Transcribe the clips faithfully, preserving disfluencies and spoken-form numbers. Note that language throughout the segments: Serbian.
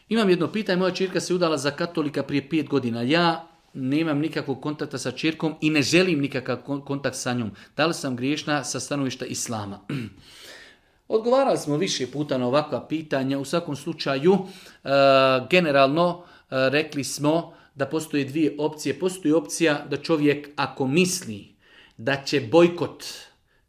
Imam jedno pitanje, moja ćerka se udala za katolika prije pet godina. Ja nemam nikakvog kontakta sa ćerkom i ne želim nikakav kontakt sa njom. Da li sam griješna sa stanovišta islama? Odgovarali smo više puta na ovakva pitanja. U svakom slučaju, e, generalno e, rekli smo da postoje dvije opcije. Postoji opcija da čovjek ako misli da će bojkot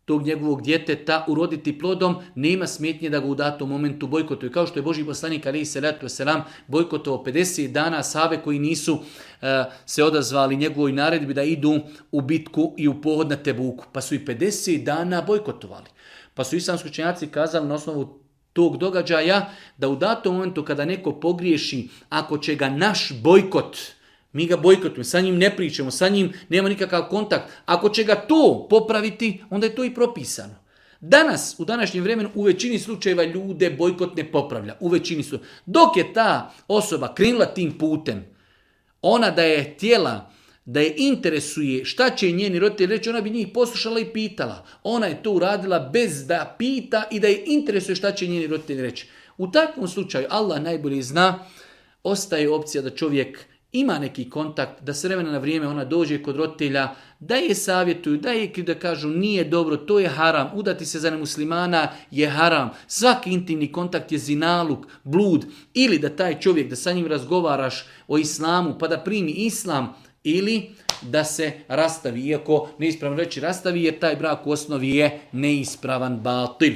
tog njegovog djeteta uroditi plodom, nema smetnje da ga u datom momentu bojkotuje. Kao što je Božji poslanik alejhi selatu vesselam bojkotovao pedeset dana sahabe koji nisu uh, se odazvali njegovoj naredbi da idu u bitku i u pohod na Tebuku. Pa su i pedeset dana bojkotovali. Pa su islamski učenjaci kazali na osnovu tog događaja da u datom momentu kada neko pogriješi, ako će ga naš bojkot, mi ga bojkotujemo, sa njim ne pričamo, sa njim nema nikakav kontakt. Ako će ga to popraviti, onda je to i propisano. Danas, u današnjem vremenu, u većini slučajeva ljude bojkot ne popravlja. U većini su. Dok je ta osoba krenula tim putem, ona da je htjela, da je interesuje šta će njeni roditelji reći, ona bi njih poslušala i pitala. Ona je to uradila bez da pita i da je interesuje šta će njeni roditelji reći. U takvom slučaju, Allah najbolje zna, ostaje opcija da čovjek ima neki kontakt, da s vremena na vrijeme ona dođe kod roditelja, da je savjetuju, da je da kažu nije dobro, to je haram, udati se za nemuslimana je haram, svaki intimni kontakt je zinaluk, blud, ili da taj čovjek, da sa njim razgovaraš o islamu pa da primi islam, ili da se rastavi, iako neispravno reći rastavi jer taj brak u osnovi je neispravan batil.